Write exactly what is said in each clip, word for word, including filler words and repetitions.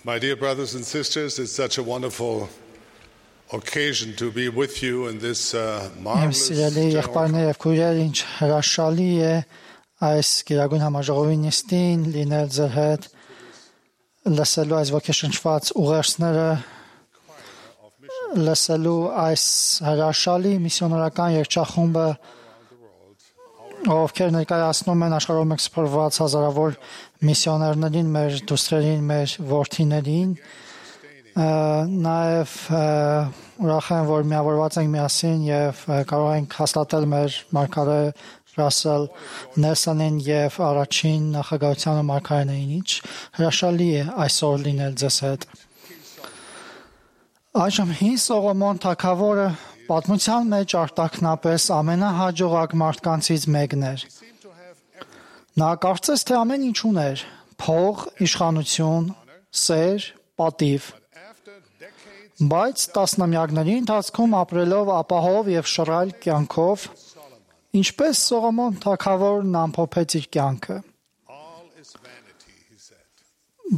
My dear brothers and sisters, it's such a wonderful occasion to be with you in this uh, marvelous եղբայրներ եւ քույրեր, ինչ հրաշալի է այս գերագույն համաժողովի նիստին լինել ձեր հետ, լսելու այս ոգեշնչված ուղերձները, լսելու այս հրաշալի միսիոներական երգչախումբը, ովքեր ներկայացնում են աշխարհով մեկ սփռված հազարավոր միսիոներներին, մեր դուստրերին, մեր որդիներին, նաև ուրախ եմ, որ միավորված ենք միասին եւ կարող ենք հաստատել մեր մարգարե Ռասել Նելսոնին եւ առաջին նախագահության մարգարեներին, ինչ հրաշալի է այսօր լինել ձեզ հետ։ Այժմ հին Սողոմոն թագավորը պատմության մեջ արտաքնապես ամենահաջողակ մարդկանցից մեկն էր։ Նա կարծես թե ամեն ինչ ուներ՝ փող, իշխանություն, սեր, պատիվ։ Բայց տասնամյակների ընթացքում ապրելով ապահով եւ շռայլ կյանքով, ինչպես Սողոմոն թագավորն ամփոփեց իր կյանքը։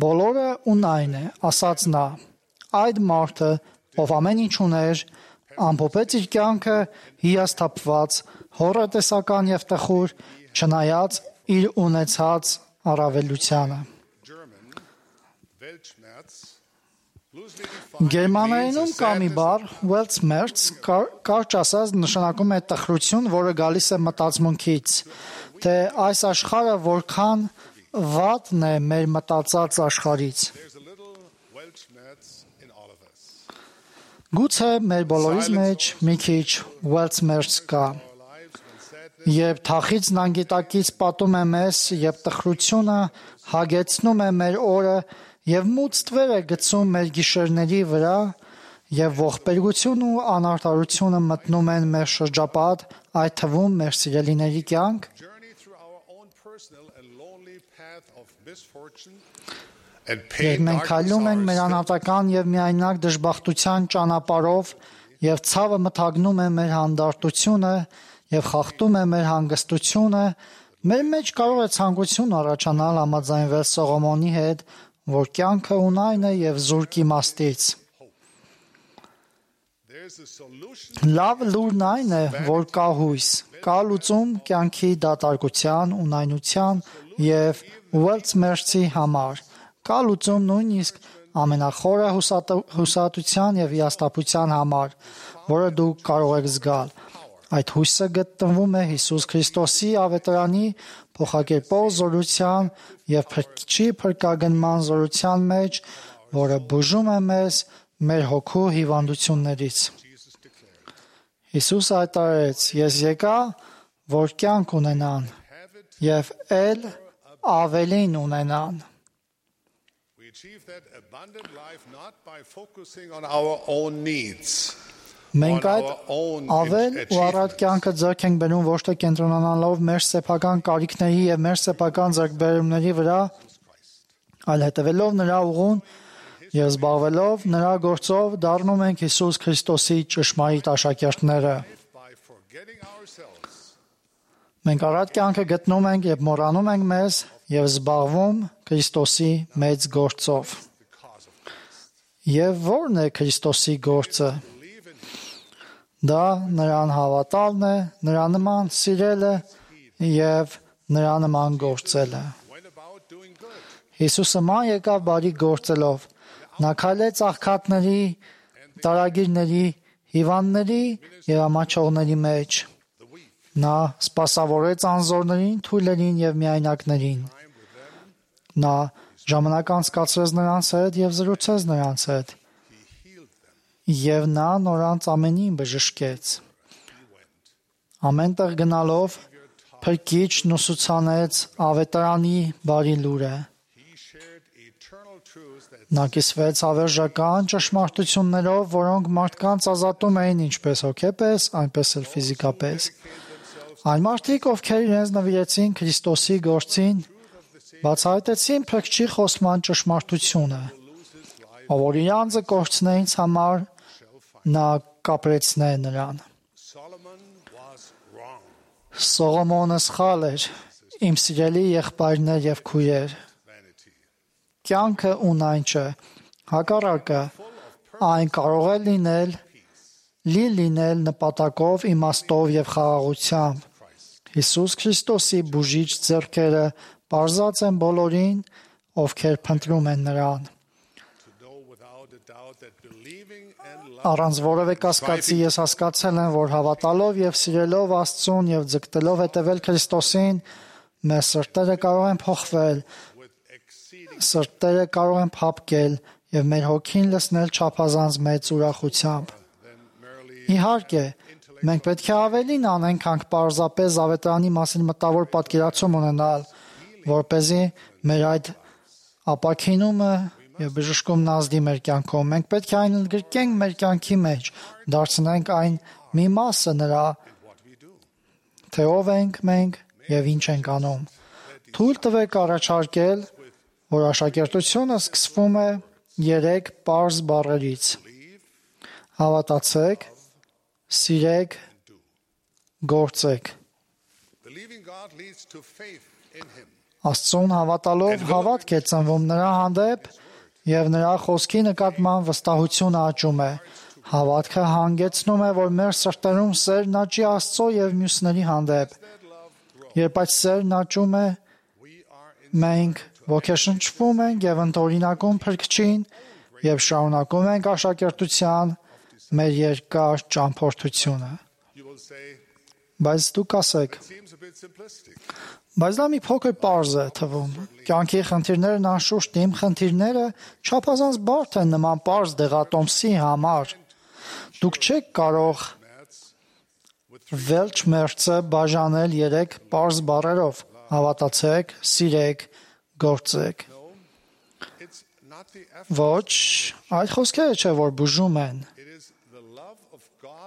Բոլորը ունայն է, ասաց նա, այդ մարդը, ով ամեն ինչ ուներ, ամփոփեց իր կյանքը հիասթափված, հոռետեսական եւ տխուր, չնայած իր ունեցած առավելությանը։ Գերմաներենում կա մի բառ Weltschmerz, կարճ ասած նշանակում է տխրություն, որը գալիս է մտածմունքից, թե այս աշխարհը որքան վատն է մեր մտածած աշխարհից։ Գուցե մեր բոլորիս մեջ մի քիչ Weltschmerz կա։ Երբ թախիծն անգիտակից պատում է մեզ, եւ տխրությունը հագեցնում է մեր օրը, եւ մութ ստվեր է գցում մեր գիշերների վրա, եւ ողբերգություն ու անարդարությունը մտնում են մեր շրջապատ, այդ թվում մեր սիրելիների կյանք, երբ մենք քայլում ենք մեր անհատական եւ միայնակ դժբախտության ճանապարհով, եւ ցավը մթագնում է մեր հանդարտությունը եւ խախտում է մեր հանգստությունը, մեր մեջ կարող է ցանկություն առաջանալ համաձայնվել Սողոմոնի հետ, որ կյանքը ունայն է եւ զուրկ իմաստից։ Լավ լուրն այն է, որ կա հույս, կա լուծում կյանքի դատարկության, ունայնության եւ Weltschmerz-ի համար, կա լուծում նույնիսկ ամենախորը հուսահատության եւ հիասթափության համար, որը դուք կարող եք զգալ։ Այդ հույսը գտնվում է Հիսուս Քրիստոսի ավետարանի փոխակերպող զորության եւ փրկչի փրկագնման զորության մեջ, որը բուժում է մեզ մեր հոգու հիվանդություններից։ Հիսուսը հայտարարեց. «Ես եկա, որ կյանք ունենան եւ ել ավելին ունենան»։ Մենք այդ ավել ու առատ կյանքը ձեռք ենք բերում ոչ թե կենտրոնանալով մեր սեփական կարիքների եւ մեր սեփական ձեռքբերումների վրա, այլ հետևելով նրա ուղուն եւ զբաղվելով նրա գործով դառնում ենք Հիսուս Քրիստոսի ճշմարիտ աշակերտները։ Մենք առատ կյանքը գտնում ենք եւ մոռանում ենք մեզ եւ զբաղվում Քրիստոսի մեծ գործով։ Եվ ո՞րն է Քրիստոսի գործը։ Դա նրան հավատալն է, նրա նման սիրելը եւ նրա նման գործելը։ Հիսուսը ման եկավ բարի գործելով։ Նա քայլեց աղքատների, տարագիրների, հիվանդների եւ ամաչողների մեջ։ Նա սպասավորեց անզորներին, թույլերին եւ միայնակներին։ Նա ժամանակ անցկացրեց նրանց հետ եւ զրուցեց նրանց հետ։ Եվ նա նորանց ամենին բժշկեց։ Ամենտեղ գնալով փրկիչն ուսուցանեց ավետարանի բարի լուրը։ Նա կիսվեց հավերժական ճշմարտություններով, որոնք մարդկանց ազատում էին ինչպես հոգեպես, այնպես էլ ֆիզիկապես։ Այն մարդիկ, ովքեր իրենց նվիրեցին Քրիստոսի գործին, բացահայտեցին փրկչի խոսման ճշմարտությունը, ով որ իր անձը կորցնե ինձ համար, նա կապրեցնե նրան։ Սողոմոնը սխալ էր, իմ սիրելի եղբայրներ եւ քույրեր։ կյանքը ունայն չէ։ Հակառակը, այն կարող է լինել լի լինել նպատակով, իմաստով եւ խաղաղությամբ։ Հիսուս Քրիստոսի բուժիչ ձեռքերը բարձած են բոլորին, ովքեր փնտրում են նրան։ Առանց որևէ կասկածի ես հասկացել եմ, որ հավատալով եւ սիրելով Աստծուն եւ ձգտելով հետևել Քրիստոսին, մեր սրտերը կարող են փոխվել, սրտերը կարող են փափկել եւ մեր հոգին լցնել չափազանց մեծ ուրախությամբ։ Իհարկե, մենք պետք է ավելին անենք, քան պարզապես Ավետարանի մասին մտավոր պատկերացում ունենալ, որպեսզի մեր այդ ապաքինումը եւ բժշկումն ազդի մեր կյանքում։ Մենք պետք է այն ընդգրկենք մեր կյանքի մեջ, դարձնենք այն մի մասը նրա, թե ով ենք մենք եւ ինչ ենք անում։ Թույլ տվեք առաջարկել, որ աշակերտությունը սկսվում է երեք պարզ բառերից. հավատացեք, սիրեք, գործեք։ Աստծուն հավատալով հավատք է ծնվում նրա հանդեպ եւ նրա խոսքի նկատմամբ վստահությունը աճում է։ Հավատքը հանգեցնում է, որ մեր սրտերում սերն աճի Աստծո եւ մյուսների հանդեպ։ Երբ այդ սերն աճում է, մենք ոգեշնչվում ենք եւ ընդօրինակում Փրկչին եւ շարունակում ենք աշակերտության մեր երկար ճամփորդությունը։ Բայց դուք ասեք, բայց դա մի փոքր պարզ է թվում։ Կյանքի խնդիրներն անշուշտ իմ խնդիրները չափազանց բարդ են նման պարզ դեղատոմսի համար։ Դուք չեք կարող վերջ մերձը բաժանել երեք պարզ բառերով. հավատացեք, սիրեք, գործեք։ Ոչ, այդ խոսքերը չէ, որ բուժում են։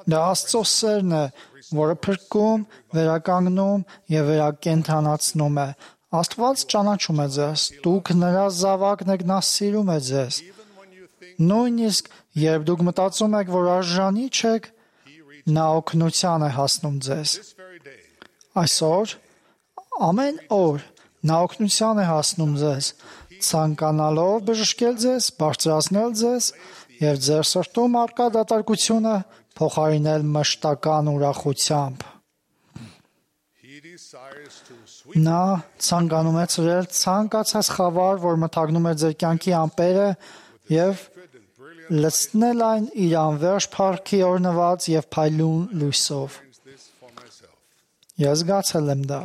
Դա Աստծո սերն է, որը փրկում, վերականգնում եւ վերակենդանացնում է։ Աստված ճանաչում է ձեզ, դուք նրա զավակն եք, նա սիրում է ձեզ։ Նույնիսկ երբ դուք մտածում եք, որ արժանի չեք, նա օգնության է հասնում ձեզ։ Այսօր, ամեն օր, նա օգնության է հասնում ձեզ, ցանկանալով բժշկել ձեզ, բարձրացնել ձեզ եւ ձեր սրտում առկա դատարկությունը փոխարինել մշտական ուրախությամբ։ Նա ցանկանում է ծրել ցանկացած խավար, որ մթագնում է ձեր կյանքի ամպերը եւ լցնել այն իր անվերջ փառքի օրնված եւ փայլուն լույսով։ Ես զգացել եմ դա։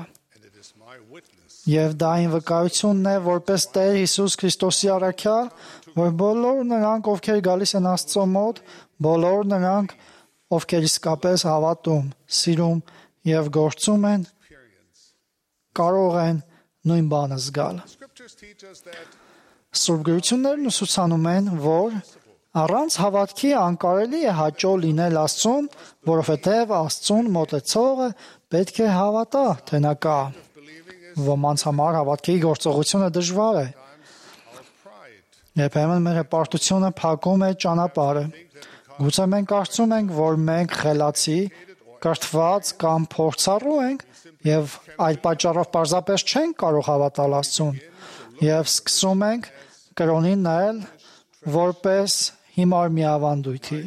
Եվ դա այն վկայությունն է, որպես Տեր Հիսուս Քրիստոսի առաքյալ, որ բոլոր նրանք, ովքեր գալիս են Աստծո մոտ, բոլոր նրանք, ովքեր իսկապես հավատում, սիրում եւ գործում են, կարող են նույն բանը զգալ։ Սուրբ գրություններն ուսուցանում են, որ առանց հավատքի անկարելի է հաճո լինել Աստծուն, որովհետեւ Աստծուն մոտեցողը պետք է հավատա, թե նա կա։ Ոմանց համար հավատքի գործողությունը դժվար է։ Երբեմն մեր հպարտությունը փակում է ճանապարհը։ Գուցե մենք կարծում ենք, որ մենք խելացի, կրթված կամ փորձառու ենք եւ այդ պատճառով պարզապես չենք կարող հավատալ Աստծուն եւ սկսում ենք կրոնին նայել որպես հիմար մի ավանդույթի։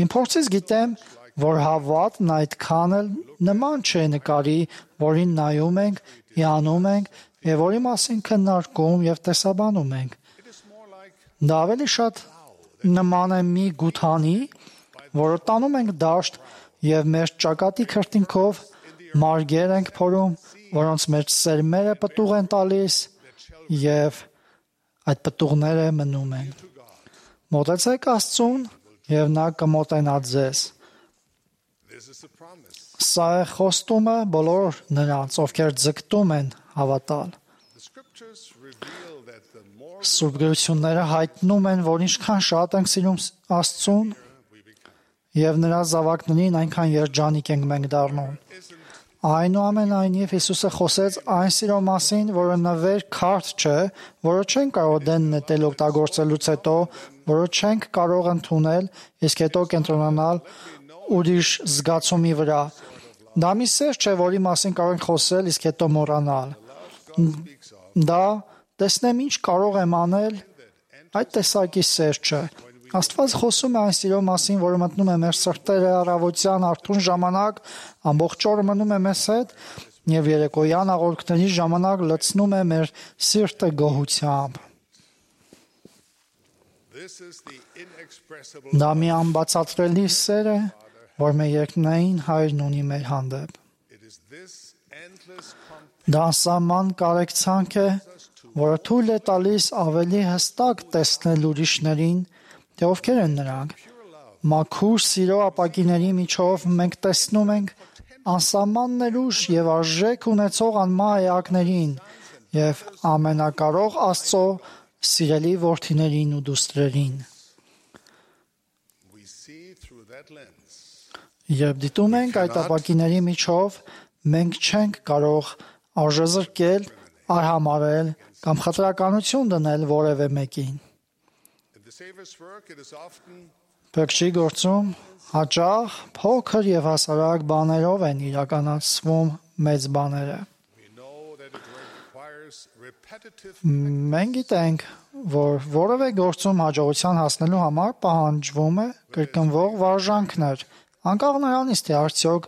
Իմ փորձից գիտեմ, որ հավատն այդքան էլ նման չէ նկարի, որին նայում ենք, հիանում ենք եւ որի մասին քննարկում եւ տեսաբանում ենք։ Դա ավելի շատ նման է մի գութանի, որը տանում ենք դաշտ եւ մեր ճակատի քրտինքով մարգեր ենք փորում, որոնց մեջ սերմերը պտուղ են տալիս եւ այդ պտուղները մնում են։ Մոտեցեք Աստծուն եւ նա կմոտենա ձեզ։ Սա է խոստումը բոլոր նրանց, ովքեր ձգտում են հավատալ։ Սուրբ գրությունները հայտնում են, որ ինչքան շատ ենք սիրում Աստծուն եւ նրա զավակներին, այնքան երջանիկ ենք մենք դառնում։ Այնուամենայնիվ Հիսուսը խոսեց այն սիրո մասին, որը նվեր քարտ չէ, որը չենք կարող դեն նետել օգտագործելուց հետո, որը չենք կարող ընդունել, իսկ հետո կենտրոնանալ ուրիշ զգացումի վրա։ Դա մի սեր չէ, որի մասին կարող ենք խոսել, իսկ հետո մոռանալ։ Դա տեսնեմ ինչ կարող եմ անել, այդ տեսակի սեր չէ։ Աստված խոսում է այն սիրո մասին, որը մտնում է մեր սրտերը առավոտյան արթուն ժամանակ, ամբողջ օրը մնում է մեզ հետ եւ երեկոյան աղոթքների ժամանակ լցնում է մեր սիրտը գոհությամբ։ Դա մի անբացատրելի սեր է, որ մեր երկնային Հայրն ունի մեր հանդեպ։ Դա անսահման կարեկցանք է, որը թույլ է տալիս ավելի հստակ տեսնել ուրիշներին, թե ովքեր են նրանք։ Մաքուր սիրո ապակիների միջով մենք տեսնում ենք անսահման ներուժ եւ արժեք ունեցող անմահ էակներին եւ ամենակարող Աստծո սիրելի որդիներին ու դուստրերին։ Երբ դիտում ենք այդ ապակիների միջով, մենք չենք կարող արժեզրկել, արհամարել կամ խտրականություն դնել որևէ մեկին։ Փրկչի գործում հաճախ փոքր եւ հասարակ բաներով են իրականացվում մեծ բաները։ Մենք գիտենք, որ որևէ գործում հաջողության հասնելու համար պահանջվում է կրկնվող վարժանքներ, անկախ նրանից, թե արդյոք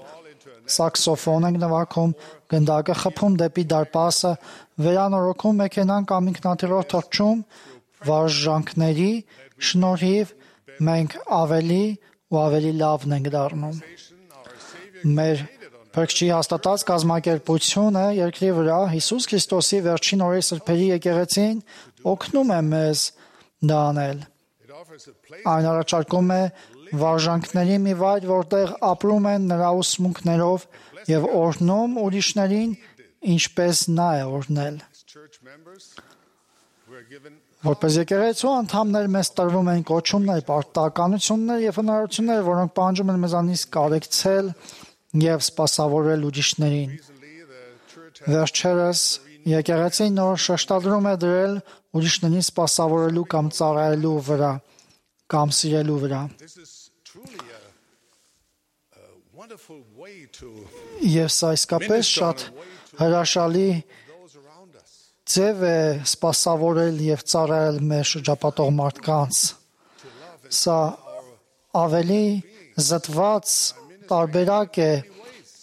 սաքսոֆոն ենք նվագում, գնդակը խփում դեպի դարպասը, վերանորոգում մեքենան կամ ինքնաթիռով թռչում, վարժանքների շնորհիվ մենք ավելի ու ավելի լավն ենք դառնում։ Մեր Փրկչի հաստատած կազմակերպությունը երկրի վրա Հիսուս Քրիստոսի վերջին օրերի սրբերի եկեղեցին օգնում է մեզ դա անել։ Այն առաջարկում է վարժանքների մի վայր, որտեղ ապրում են նրա ուսմունքներով եւ օրհնում ուրիշներին, ինչպես նա է օրհնել։ Որպես եկեղեցու անդամներ մեզ տրվում են կոչումներ, պարտականություններ եւ հնարավորություններ, որոնք պահանջում են մեզանից կարեկցել եւ սպասավորել ուրիշներին։ Վերջերս եկեղեցին նոր շեշտադրում է դրել ուրիշներին սպասավորելու կամ ծառայելու վրա, կամ սիրելու վրա։ Եվ սա իսկապես շատ հրաշալի ձև է սպասավորել եւ ծառայել մեր շրջապատող մարդկանց։ Սա ավելի զտված տարբերակ է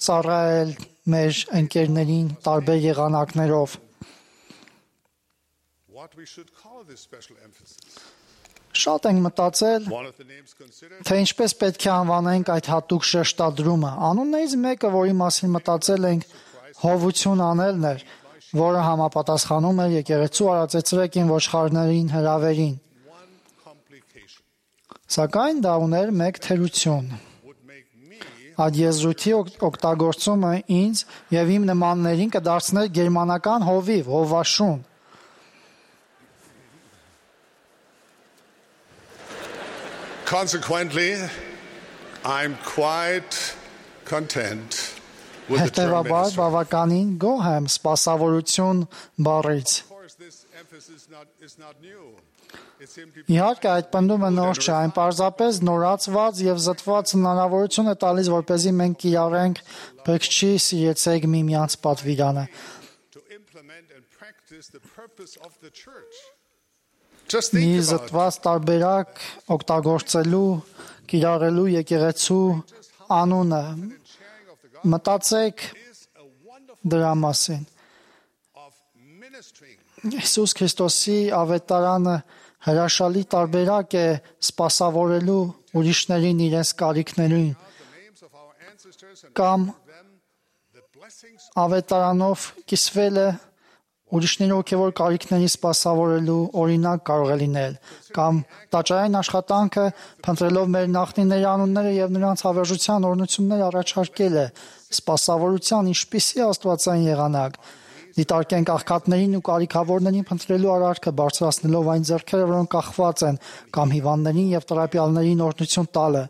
ծառայել մեր ընկերներին տարբեր եղանակներով։ Շատ ենք մտածել, թե ինչպես պետք է անվանենք այդ հատուկ շեշտադրումը։ Անուններից մեկը, որի մասին մտածել ենք, հովություն անելն էր, որը համապատասխանում էր եկեղեցու արածեցրեկին ոչխարներին հրավերին։ Սակայն դա ուներ մեկ թերություն։ Այդ եզրույթի օգտագործումը ինձ եւ իմ նմաններին կդարձներ գերմանական հովիվ, հովաշուն։ Consequently, I'm quite content with the term Հետևաբար ministry. բավականին գոհ եմ սպասավորություն բառից։ Of course, this emphasis not, is not new. It's simply Իհարկե այդ պնդումը նոր չէ, այն պարզապես նորացված եւ զտված հնարավորություն է տալիս, որպեսզի մենք կիրառենք Փրկչի սիրեցեք միմյանց պատվիրանը։ to implement and practice the purpose of the church. Just Մի think about it. զտված տարբերակ օգտագործելու, կիրառելու եկեղեցու անունը։ Sharing of the gospel Մտածեք is a wonderful դրա մասին։ of ministering. Հիսուս Քրիստոսի ավետարանը հրաշալի տարբերակ է սպասավորելու ուրիշներին իրենց կարիքներին The names of our ancestors and կամ them the blessings ավետարանով կիսվել է ուրիշների ոգևոր կարիքների սպասավորելու օրինակ կարող է լինել կամ տաճարային աշխատանքը փնտրելով մեր նախնիների անունները եւ նրանց հավերժության օրհնություններ առաջարկել է սպասավորության ինչպիսի աստվածային եղանակ դիտարկենք աղքատներին ու կարիքավորներին փնտրելու արարքը բարձրացնելով այն ձեռքերը որոնք կախված են կամ հիվանդներին եւ տրապյալներին օրհնություն տալը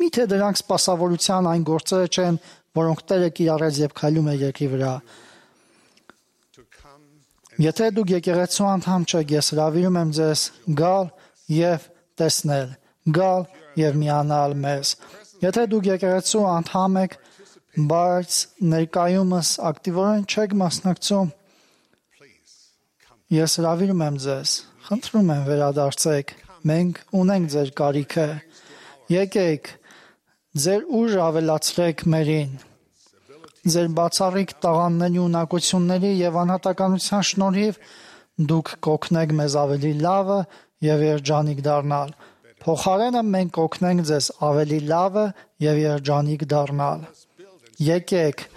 միթե դրանք սպասավորության այն գործերը չեն որոնք Տերը կիրառեց եւ քայլում է երկրի վրա to come Եթե դուք եկեղեցու անդամ չեք, ես հրավիրում եմ ձեզ գալ եւ տեսնել, գալ եւ միանալ մեզ։ Եթե դուք եկեղեցու անդամ եք, բայց ներկայումս ակտիվորեն չեք մասնակցում, please come. Ես հրավիրում եմ ձեզ, խնդրում եմ վերադարձեք, մենք ունենք ձեր կարիքը, եկեք, ձեր ուժ ավելացրեք մերին, ձեր բացառիկ տաղանդների ունակությունների և անհատականության շնորհիվ դուք կօգնեք մեզ ավելի լավը և երջանիկ դառնալ, փոխարենը մենք կօգնենք ձեզ ավելի լավը և երջանիկ դառնալ, եկեք,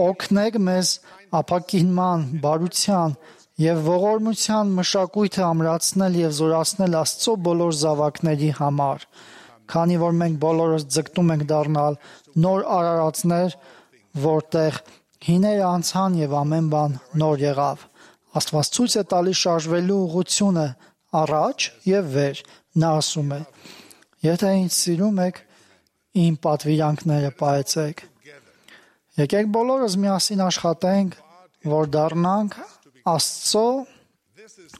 օգնեք մեզ ապաքինման, բարության և ողորմության մշակույթը ամրացնել և զորացնել Աստծո բոլոր զավակների համար, քանի որ մենք բոլորս ձգտում ենք դառնալ նոր արարածներ, որտեղ հիները անցան և ամեն բան նոր եղավ։ Աստված ցույց է տալիս շարժվելու ուղղությունը առաջ և վեր։ Նա ասում է. «Եթե ինձ սիրում եք, իմ պատվիրանքները պահեցեք»։ Եկեք բոլորս միասին աշխատենք, որ դառնանք Աստծո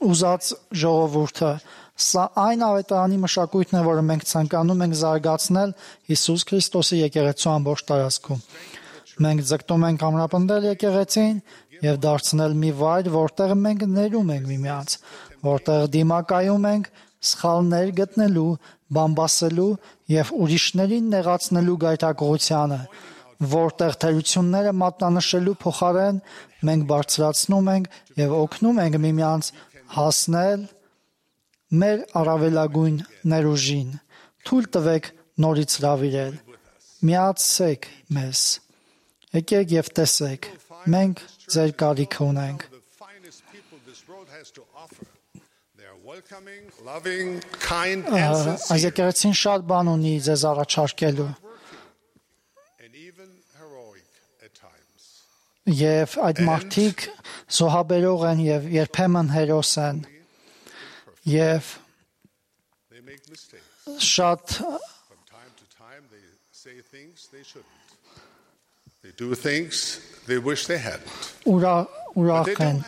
ուզած ժողովուրդը։ Սա այն ավետարանի մշակույթն է, որը մենք ցանկանում ենք զարգացնել Հիսուս Քրիստոսի եկեղեցու ամբողջ տարածքում։ Մենք ձգտում ենք ամրապնդել եկեղեցին և դարձնել մի վայր, որտեղ մենք ներում ենք միմյանց, որտեղ դիմակայում ենք սխալներ գտնելու, բամբասելու և ուրիշներին նեղացնելու գայթակղությանը, որտեղ թերությունները մատնանշելու փոխարեն մենք բարձրացնում ենք և օգնում ենք միմյանց հասնել մեր առավելագույն ներուժին։ Թույլ տվեք նորից հրավիրել։ Միացեք մեզ։ Եկեք և տեսեք, մենք ձեր կարիքը ունենք։ Այս եկեղեցին շատ բան ունի ձեզ առաջարկելու։ Եվ այդ մարդիկ զոհաբերող են և երբեմն հերոս են։ Եվ շատ ուրախ են։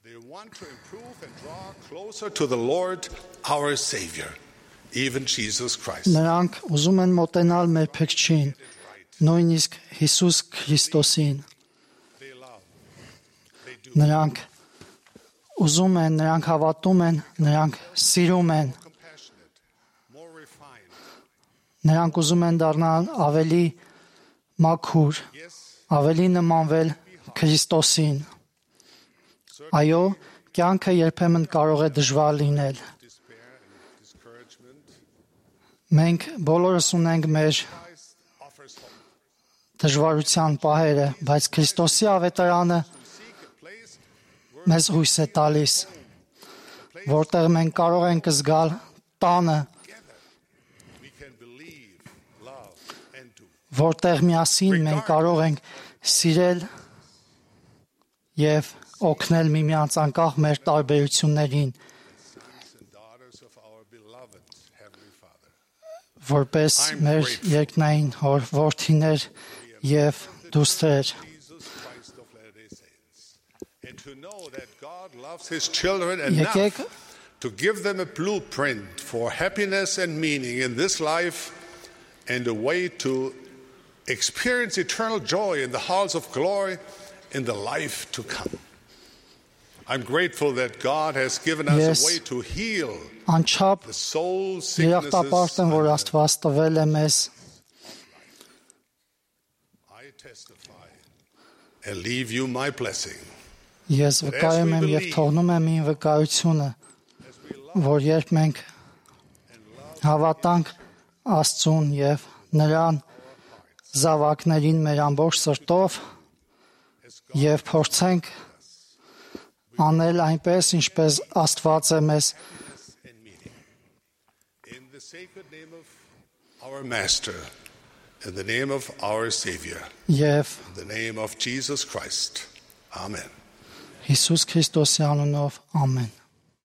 They want to improve and draw closer to the Lord, our Savior, even Jesus Christ. Նրանք ուզում են մոտենալ մեր Փրկչին, նույնիսկ Հիսուս Քրիստոսին։ Նրանք ուզում են, նրանք հավատում են, նրանք սիրում են։ Նրանք ուզում են դառնալ ավելի մաքուր, ավելի նմանվել Քրիստոսին։ Այո, կյանքը երբեմն կարող է դժվար լինել։ Մենք բոլորս ունենք մեր դժվարության պահերը, բայց Քրիստոսի ավետարանը մեզ հույս է տալիս, որտեղ մենք կարող ենք զգալ տանը, որտեղ միասին մենք կարող ենք սիրել և օգնել միմյանց անկախ մեր տարբերություններին, որպես մեր երկնային հոր որդիներ և դուստր։ Եկեք to give them a blueprint for happiness and meaning in this life and a way to experience eternal joy in the halls of glory in the life to come. I'm grateful that God has given us yes. a way to heal the soul sicknesses. I testify and leave you my blessing. Ես վկայում եմ և թողնում եմ իմ վկայությունը, որ երբ մենք հավատանք Աստծուն և Նրան զավակներին մեր ամբողջ սրտով և փորձենք անել այնպես, ինչպես Աստված է մեզ in the sacred name of our Master, in the name of our Savior, և in the name of Jesus Christ. Amen. Հիսուս Քրիստոսի անունով ամեն։